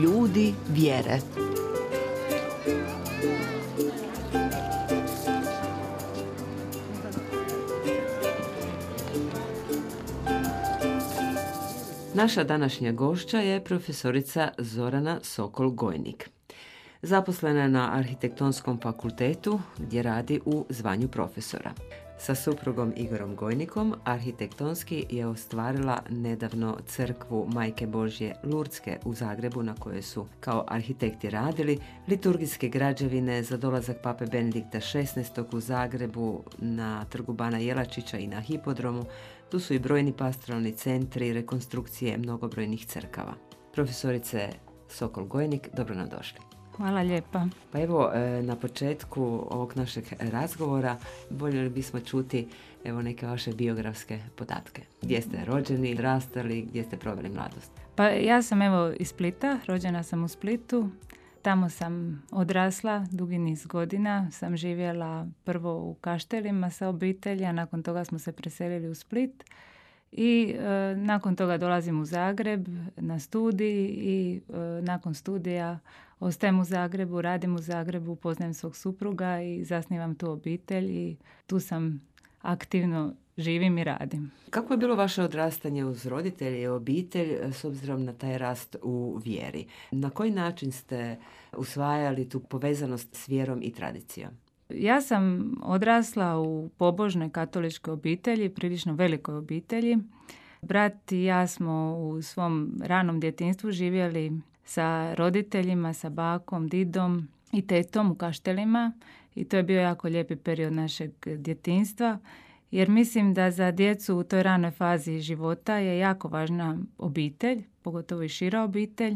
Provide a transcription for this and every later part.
ljudi vjere. Naša današnja gošća je profesorica Zorana Sokol-Gojnik. Zaposlena je na Arhitektonskom fakultetu gdje radi u zvanju profesora. Sa suprugom Igorom Gojnikom arhitektonski je ostvarila nedavno crkvu Majke Božje Lurdske u Zagrebu, na kojoj su kao arhitekti radili, liturgijske građevine za dolazak pape Benedikta XVI u Zagrebu, na trgu Bana Jelačića i na hipodromu. Tu su i brojni pastoralni centri, rekonstrukcije mnogobrojnih crkava. Profesorice Sokol-Gojnik, dobro nam došli. Hvala lijepa. Pa evo, na početku ovog našeg razgovora voljeli bismo čuti neke vaše biografske podatke. Gdje ste rođeni, rastali, gdje ste proveli mladost? Pa ja sam iz Splita, rođena sam u Splitu. Tamo sam odrasla, dugi niz godina. Sam živjela prvo u Kaštelima sa obitelji, a nakon toga smo se preselili u Split. I nakon toga dolazim u Zagreb na studij i nakon studija ostajem u Zagrebu, radim u Zagrebu, poznajem svog supruga i zasnivam tu obitelj i tu sam aktivno živim i radim. Kako je bilo vaše odrastanje uz roditelje i obitelj s obzirom na taj rast u vjeri? Na koji način ste usvajali tu povezanost s vjerom i tradicijom? Ja sam odrasla u pobožnoj katoličkoj obitelji, prilično velikoj obitelji. Brat i ja smo u svom ranom djetinjstvu živjeli sa roditeljima, sa bakom, didom i tetom u Kaštelima i to je bio jako lijepi period našeg djetinjstva, jer mislim da za djecu u toj ranoj fazi života je jako važna obitelj, pogotovo i šira obitelj,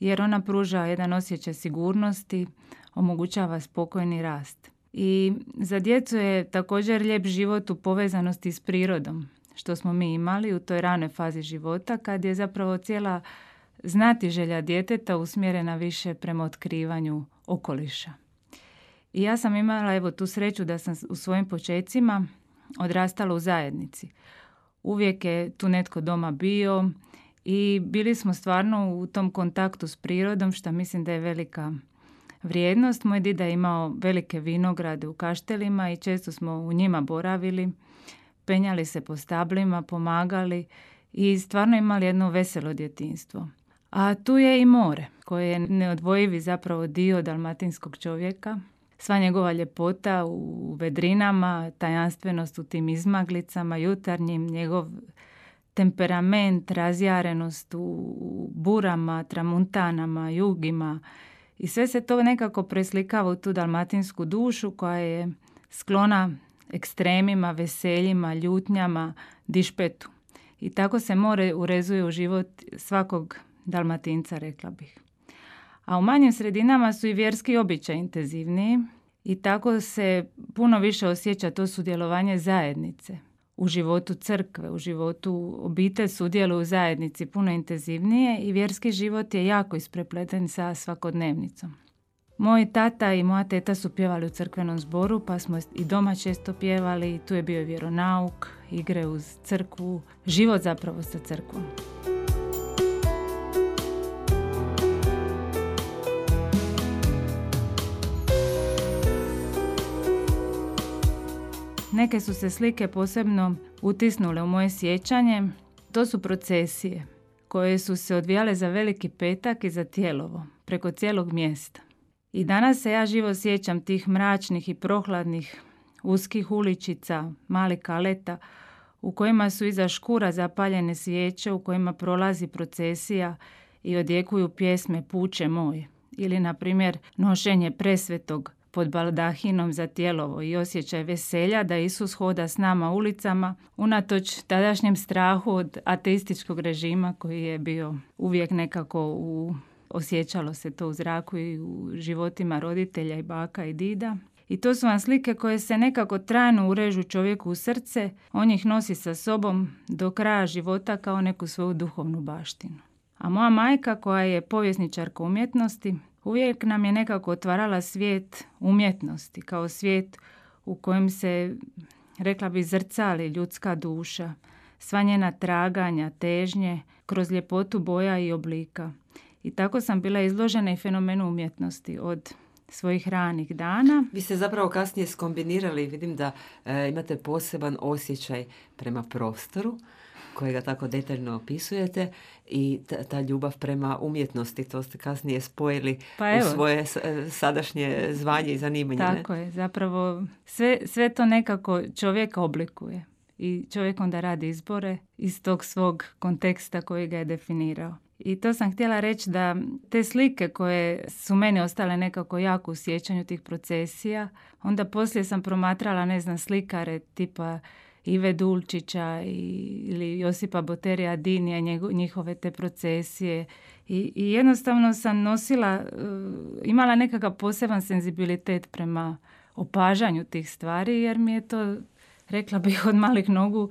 jer ona pruža jedan osjećaj sigurnosti, omogućava spokojni rast. I za djecu je također lijep život u povezanosti s prirodom, što smo mi imali u toj ranoj fazi života, kad je zapravo cijela znatiželja djeteta usmjerena više prema otkrivanju okoliša. I ja sam imala tu sreću da sam u svojim počecima odrastala u zajednici. Uvijek je tu netko doma bio i bili smo stvarno u tom kontaktu s prirodom, što mislim da je velika vrijednost. Moj dida je imao velike vinograde u Kaštelima i često smo u njima boravili, penjali se po stablima, pomagali i stvarno imali jedno veselo djetinjstvo. A tu je i more, koje je neodvojivi zapravo dio dalmatinskog čovjeka. Sva njegova ljepota u vedrinama, tajanstvenost u tim izmaglicama jutarnjim, njegov temperament, razjarenost u burama, tramuntanama, jugima. I sve se to nekako preslikava u tu dalmatinsku dušu koja je sklona ekstremima, veseljima, ljutnjama, dišpetu. I tako se more urezuje u život svakog Dalmatinca, rekla bih. A u manjim sredinama su i vjerski običaj intenzivniji i tako se puno više osjeća to sudjelovanje zajednice. U životu crkve, u životu obitelj sudjeluju u zajednici puno intenzivnije i vjerski život je jako isprepleten sa svakodnevnicom. Moj tata i moja teta su pjevali u crkvenom zboru, pa smo i doma često pjevali. Tu je bio vjeronauk, igre uz crkvu, život zapravo sa crkvom. Neke su se slike posebno utisnule u moje sjećanje. To su procesije koje su se odvijale za Veliki petak i za Tijelovo, preko cijelog mjesta. I danas se ja živo sjećam tih mračnih i prohladnih uskih uličica, malih kaleta, u kojima su iza škura zapaljene svijeće, u kojima prolazi procesija i odjekuju pjesme Puče moj. Ili, na primjer, nošenje presvetog pod baldahinom za Tijelovo i osjećaj veselja da Isus hoda s nama ulicama, unatoč tadašnjem strahu od ateističkog režima koji je bio uvijek nekako osjećalo se to u zraku i u životima roditelja i baka i dida. I to su vam slike koje se nekako trajno urežu čovjeku u srce, on ih nosi sa sobom do kraja života kao neku svoju duhovnu baštinu. A moja majka, koja je povjesničarka umjetnosti, uvijek nam je nekako otvarala svijet umjetnosti, kao svijet u kojem se, rekla bi, zrcali ljudska duša, sva njena traganja, težnje, kroz ljepotu boja i oblika. I tako sam bila izložena i fenomenu umjetnosti od svojih ranih dana. Vi ste zapravo kasnije skombinirali, vidim da imate poseban osjećaj prema prostoru, kojega tako detaljno opisujete, i ta ljubav prema umjetnosti, to ste kasnije spojili u svoje sadašnje zvanje i zanimanje. Tako je, zapravo sve to nekako čovjeka oblikuje i čovjek onda radi izbore iz tog svog konteksta koji ga je definirao. I to sam htjela reći da te slike koje su meni ostale nekako jako u sjećanju tih procesija, onda poslije sam promatrala, slikare tipa Ive Dulčića ili Josipa Boterija Dinija, njihove te procesije. I jednostavno sam imala nekakav poseban senzibilitet prema opažanju tih stvari, jer mi je to, rekla bih, od malih nogu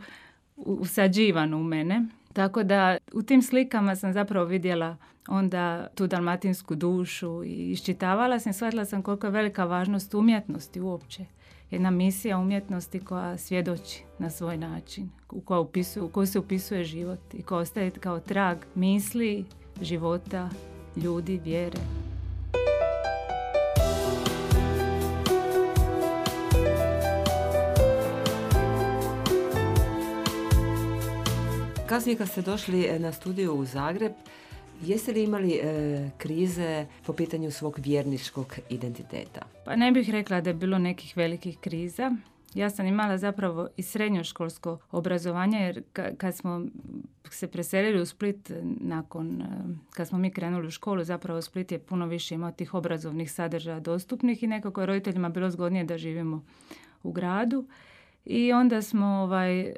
usađivano u mene. Tako da u tim slikama sam zapravo vidjela onda tu dalmatinsku dušu i iščitavala sam, shvatila sam koliko je velika važnost umjetnosti uopće. Jedna misija umjetnosti koja svjedoči na svoj način, u koju se upisuje život i koja ostaje kao trag misli, života, ljudi, vjere. Kasnije kad ste došli na studiju u Zagreb, jeste li imali krize po pitanju svog vjerničkog identiteta? Pa ne bih rekla da je bilo nekih velikih kriza. Ja sam imala zapravo i srednjoškolsko obrazovanje, jer kad smo se preselili u Split kad smo mi krenuli u školu, zapravo Split je puno više imao tih obrazovnih sadržaja dostupnih i nekako je roditeljima bilo zgodnije da živimo u gradu. I onda smo,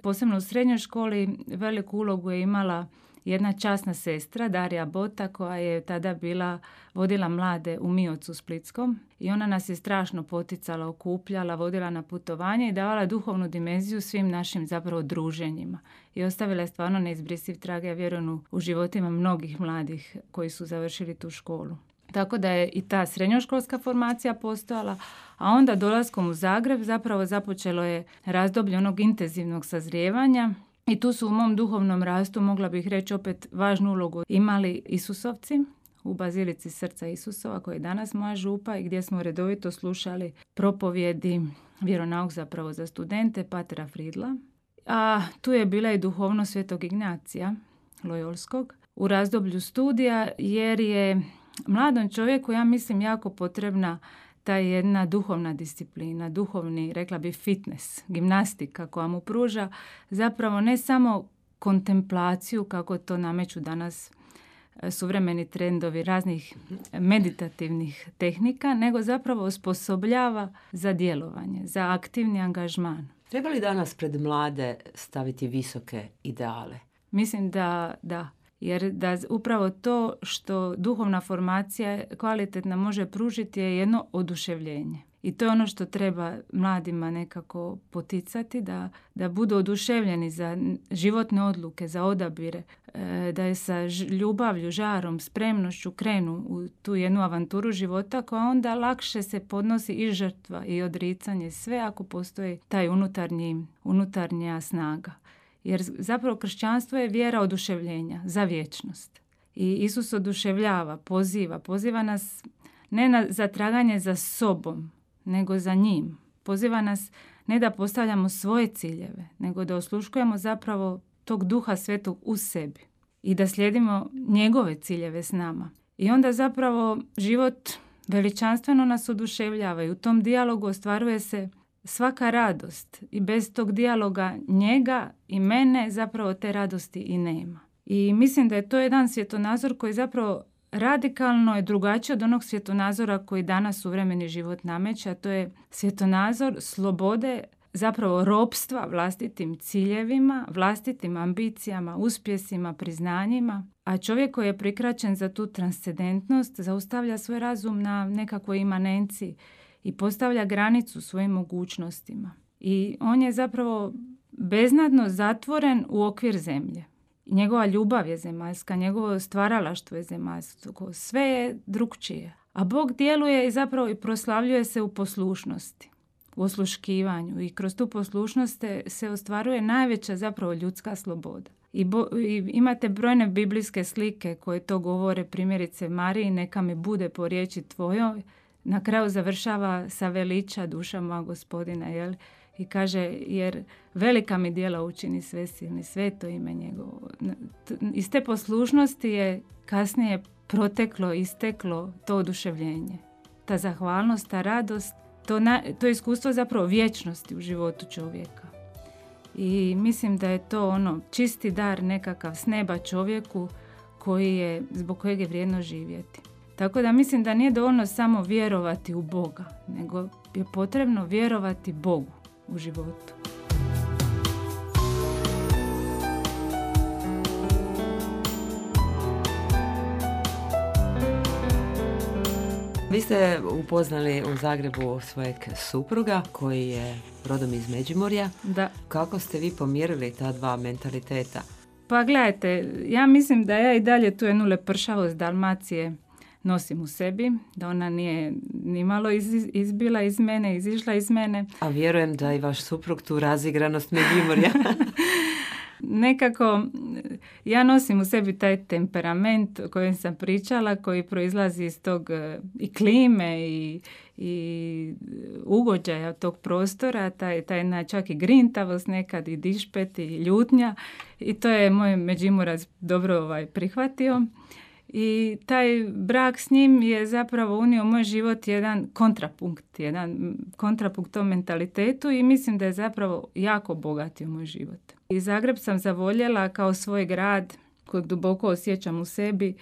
posebno u srednjoj školi, veliku ulogu je imala jedna časna sestra, Darija Bota, koja je tada vodila mlade u Miocu Splitskom. I ona nas je strašno poticala, okupljala, vodila na putovanje i davala duhovnu dimenziju svim našim zapravo druženjima. I ostavila je stvarno neizbrisiv trag, ja vjerujem, u životima mnogih mladih koji su završili tu školu. Tako da je i ta srednjoškolska formacija postojala, a onda dolaskom u Zagreb zapravo započelo je razdoblje onog intenzivnog sazrijevanja i tu su u mom duhovnom rastu, mogla bih reći, opet važnu ulogu imali Isusovci u Bazilici Srca Isusova, koji je danas moja župa i gdje smo redovito slušali propovjedi, vjeronauk zapravo za studente, Patera Fridla. A tu je bila i duhovnost Svetog Ignacija Lojolskog u razdoblju studija, jer je mladom čovjeku, ja mislim, jako potrebna ta jedna duhovna disciplina, duhovni, rekla bi, fitness, gimnastika koja mu pruža zapravo ne samo kontemplaciju, kako to nameću danas suvremeni trendovi raznih meditativnih tehnika, nego zapravo osposobljava za djelovanje, za aktivni angažman. Treba li danas pred mlade staviti visoke ideale? Mislim da. Jer da upravo to što duhovna formacija kvalitetna može pružiti je jedno oduševljenje. I to je ono što treba mladima nekako poticati, da budu oduševljeni za životne odluke, za odabire, da je sa ljubavlju, žarom, spremnošću krenu u tu jednu avanturu života koja onda lakše se podnosi i žrtva i odricanje, sve ako postoji taj unutarnja snaga. Jer zapravo kršćanstvo je vjera oduševljenja za vječnost. I Isus oduševljava, poziva nas ne za traganje za sobom, nego za njim. Poziva nas ne da postavljamo svoje ciljeve, nego da osluškujemo zapravo tog Duha Svetog u sebi i da slijedimo njegove ciljeve s nama. I onda zapravo život veličanstveno nas oduševljava i u tom dijalogu ostvaruje se svaka radost i bez tog dijaloga njega i mene zapravo te radosti i nema. I mislim da je to jedan svjetonazor koji zapravo radikalno je drugačiji od onog svjetonazora koji danas suvremeni život nameće, a to je svjetonazor slobode, zapravo ropstva vlastitim ciljevima, vlastitim ambicijama, uspjesima, priznanjima. A čovjek koji je prikraćen za tu transcendentnost zaustavlja svoj razum na nekakvoj imanenciji i postavlja granicu svojim mogućnostima. I on je zapravo beznadno zatvoren u okvir zemlje. Njegova ljubav je zemaljska, njegovo stvaralaštvo je zemaljsko, sve je drukčije. A Bog djeluje i zapravo i proslavljuje se u poslušnosti, u osluškivanju i kroz tu poslušnost se ostvaruje najveća zapravo ljudska sloboda. I imate brojne biblijske slike koje to govore, primjerice Mariji, neka mi bude po riječi tvojoj. Na kraju završava sa veliča duša moja Gospodina, jel? I kaže, jer velika mi djela učini svesilni, sveto ime njegovo. Iz te poslušnosti je kasnije isteklo to oduševljenje. Ta zahvalnost, ta radost, to iskustvo zapravo vječnosti u životu čovjeka. I mislim da je to čisti dar nekakav s neba čovjeku zbog kojeg je vrijedno živjeti. Tako da mislim da nije dovoljno samo vjerovati u Boga, nego je potrebno vjerovati Bogu u životu. Vi ste upoznali u Zagrebu svojeg supruga koji je rodom iz Međimurja. Da. Kako ste vi pomirili ta dva mentaliteta? Pa gledajte, ja mislim da ja i dalje tu jednu lepršavost Dalmacije nosim u sebi, da ona nije nimalo izbila iz mene, izišla iz mene. A vjerujem da i vaš suprug tu razigranost Međimurja. Nekako ja nosim u sebi taj temperament o kojem sam pričala, koji proizlazi iz tog i klime i ugođaja tog prostora, taj čak i grintavost nekad i dišpet i ljutnja, i to je moj Međimurac dobro prihvatio. I taj brak s njim je zapravo unio u moj život jedan kontrapunkt tom mentalitetu, i mislim da je zapravo jako obogatio moj život. I Zagreb sam zavoljela kao svoj grad kojeg duboko osjećam u sebi,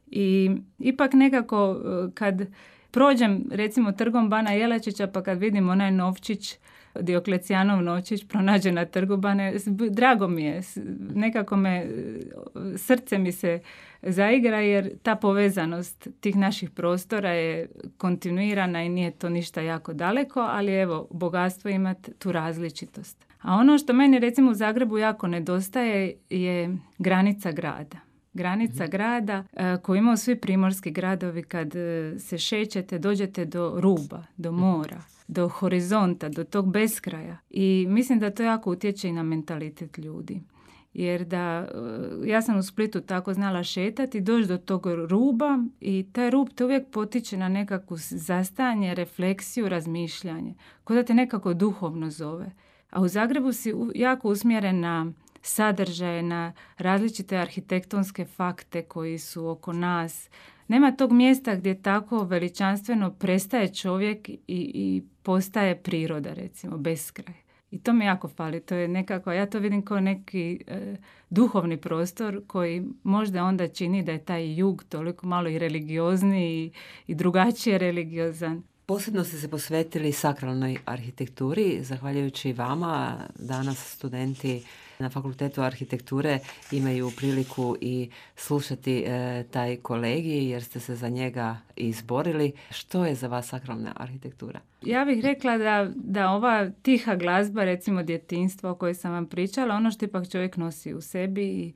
i ipak nekako kad prođem recimo trgom Bana Jelačića, pa kad vidim onaj novčić, Dioklecijanov novčić pronađen na trgu Bane, drago mi je, nekako srce mi se zaigra, jer ta povezanost tih naših prostora je kontinuirana i nije to ništa jako daleko, ali evo, bogatstvo imati tu različitost. A ono što meni recimo u Zagrebu jako nedostaje je granica grada. Granica grada koju imaju svi primorski gradovi, kad se šećete, dođete do ruba, do mora, do horizonta, do tog beskraja. I mislim da to jako utječe i na mentalitet ljudi. Jer ja sam u Splitu tako znala šetati, doći do tog ruba, i taj rub te uvijek potiče na nekakvu zastajanje, refleksiju, razmišljanje, kao da te nekako duhovno zove. A u Zagrebu si jako usmjeren na sadržaje, na različite arhitektonske fakte koji su oko nas. Nema tog mjesta gdje tako veličanstveno prestaje čovjek i postaje priroda, recimo, beskraj. I to mi jako fali. To je nekako, ja to vidim kao neki duhovni prostor koji možda onda čini da je taj jug toliko malo i religiozni i drugačije religiozan. Posebno ste se posvetili sakralnoj arhitekturi. Zahvaljujući vama, danas studenti na Fakultetu arhitekture imaju priliku i slušati taj kolegij, jer ste se za njega izborili. Što je za vas sakralna arhitektura? Ja bih rekla da ova tiha glazba, recimo djetinjstvo o kojoj sam vam pričala, ono što ipak čovjek nosi u sebi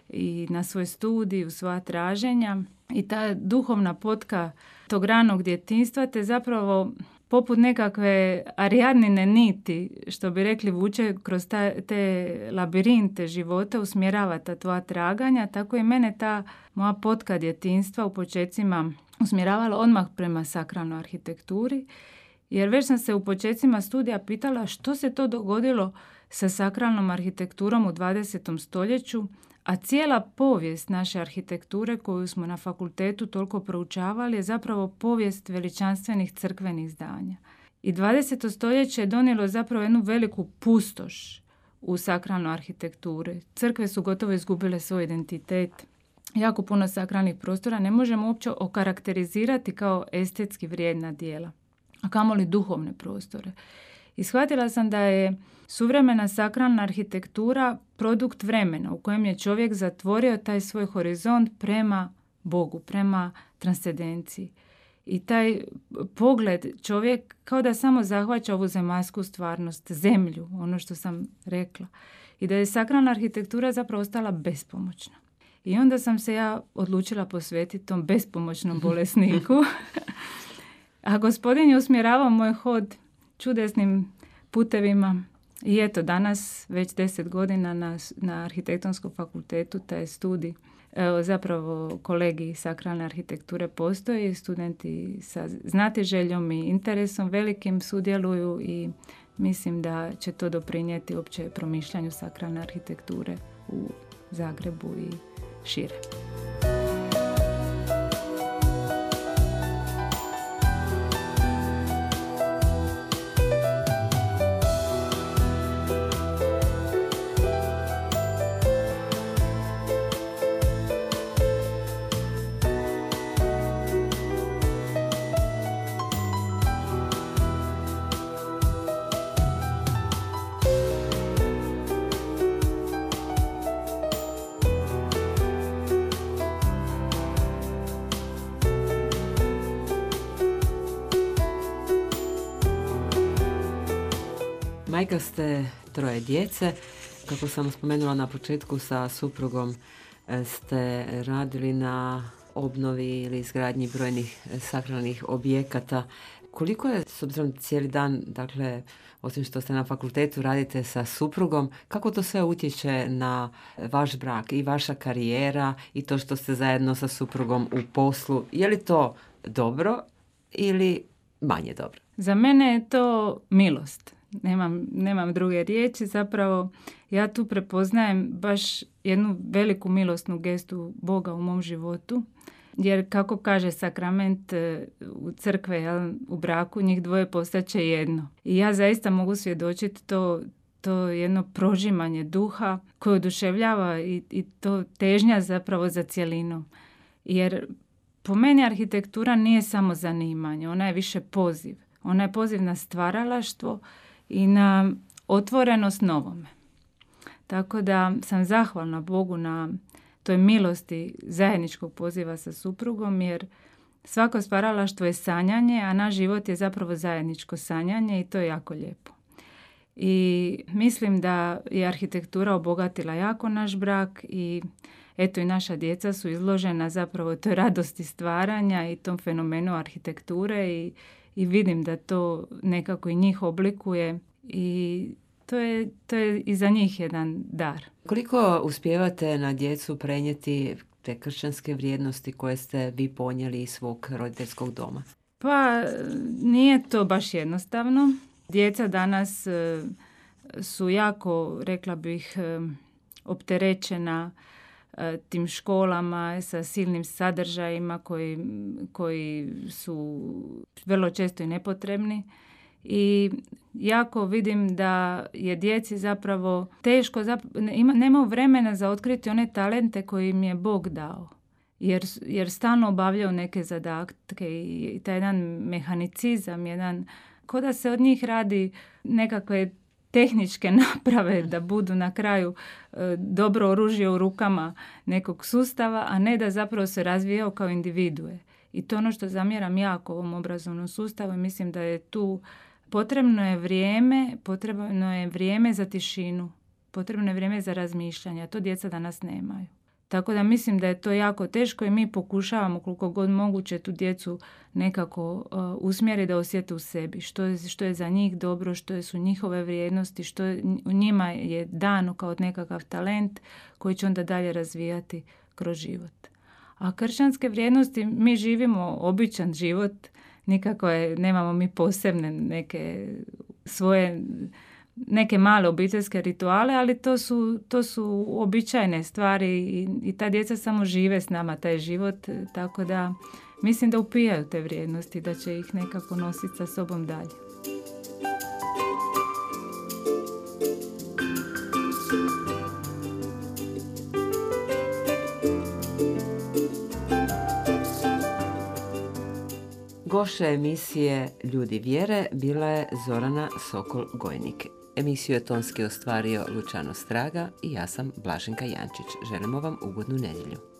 i na svoj studij, u svoja traženja, i ta duhovna potka tog ranog djetinjstva te zapravo poput nekakve Ariadnine niti, što bi rekli, vuče kroz te labirinte života, usmjerava ta tvoja traganja. Tako i mene ta moja potka djetinjstva u počecima usmjeravala odmah prema sakralnoj arhitekturi, jer već sam se u počecima studija pitala što se to dogodilo sa sakralnom arhitekturom u 20. stoljeću, a cijela povijest naše arhitekture koju smo na fakultetu toliko proučavali je zapravo povijest veličanstvenih crkvenih zdanja. I 20. stoljeće je donijelo zapravo jednu veliku pustoš u sakralnoj arhitekturi. Crkve su gotovo izgubile svoj identitet. Jako puno sakralnih prostora ne možemo uopće okarakterizirati kao estetski vrijedna djela, a kamoli duhovne prostore. I shvatila sam da je suvremena sakralna arhitektura produkt vremena u kojem je čovjek zatvorio taj svoj horizont prema Bogu, prema transcendenciji. I taj pogled čovjek kao da samo zahvaća ovu zemaljsku stvarnost, zemlju, ono što sam rekla. I da je sakralna arhitektura zapravo ostala bespomoćna. I onda sam se ja odlučila posvetiti tom bespomoćnom bolesniku. A Gospodin je usmjeravao moj hod čudesnim putevima I eto, danas već 10 godina na arhitektonskom fakultetu taj studij, zapravo kolegij sakralne arhitekture postoji, studenti sa znatiželjom i interesom velikim sudjeluju i mislim da će to doprinijeti uopće promišljanju sakralne arhitekture u Zagrebu i šire. Majka ste 3 djece. Kako sam spomenula na početku, sa suprugom ste radili na obnovi ili izgradnji brojnih sakralnih objekata. Koliko je, s obzirom cijeli dan, dakle, osim što ste na fakultetu, radite sa suprugom, kako to sve utječe na vaš brak i vaša karijera i to što ste zajedno sa suprugom u poslu? Je li to dobro ili manje dobro? Za mene je to milost. Nemam druge riječi. Zapravo ja tu prepoznajem baš jednu veliku milosnu gestu Boga u mom životu. Jer kako kaže sakrament u crkve, u braku, njih dvoje postaće jedno. I ja zaista mogu svjedočiti to jedno prožimanje duha koje oduševljava i to težnja zapravo za cjelinom. Jer po meni arhitektura nije samo zanimanje, ona je više poziv. Ona je poziv na stvaralaštvo i na otvorenost novome. Tako da sam zahvalna Bogu na toj milosti zajedničkog poziva sa suprugom, jer svako stvaralaštvo je sanjanje, a naš život je zapravo zajedničko sanjanje i to je jako lijepo. I mislim da je arhitektura obogatila jako naš brak i eto i naša djeca su izložena zapravo toj radosti stvaranja i tom fenomenu arhitekture i vidim da to nekako i njih oblikuje i to je i za njih jedan dar. Koliko uspijevate na djecu prenijeti te kršćanske vrijednosti koje ste vi ponijeli iz svog roditeljskog doma? Pa nije to baš jednostavno. Djeca danas su jako, rekla bih, opterećena tim školama sa silnim sadržajima koji su vrlo često i nepotrebni. I jako vidim da je djeci zapravo teško, nemaju vremena za otkriti one talente koje im je Bog dao. Jer stalno obavljaju neke zadatke i taj jedan mehanicizam, ko da se od njih radi nekakve tehničke naprave da budu na kraju dobro oružje u rukama nekog sustava, a ne da zapravo se razvijao kao individue. I to ono što zamjeram jako ovom obrazovnom sustavu i mislim da je tu potrebno je vrijeme za tišinu, potrebno je vrijeme za razmišljanje, a to djeca danas nemaju. Tako da mislim da je to jako teško i mi pokušavamo koliko god moguće tu djecu nekako usmjeriti da osjete u sebi. Što je za njih dobro, što su njihove vrijednosti, što u njima je dano kao nekakav talent koji će onda dalje razvijati kroz život. A kršćanske vrijednosti, mi živimo običan život, nikako nemamo mi posebne neke svoje neke male obiteljske rituale, ali to su uobičajene stvari i ta djeca samo žive s nama taj život, tako da mislim da upijaju te vrijednosti, da će ih nekako nositi sa sobom dalje. Gošća emisije Ljudi vjere bila je Zorana Sokol-Gojnik. Emisiju je tonski ostvario Lučano Straga i ja sam Blaženka Jančić. Želimo vam ugodnu nedjelju.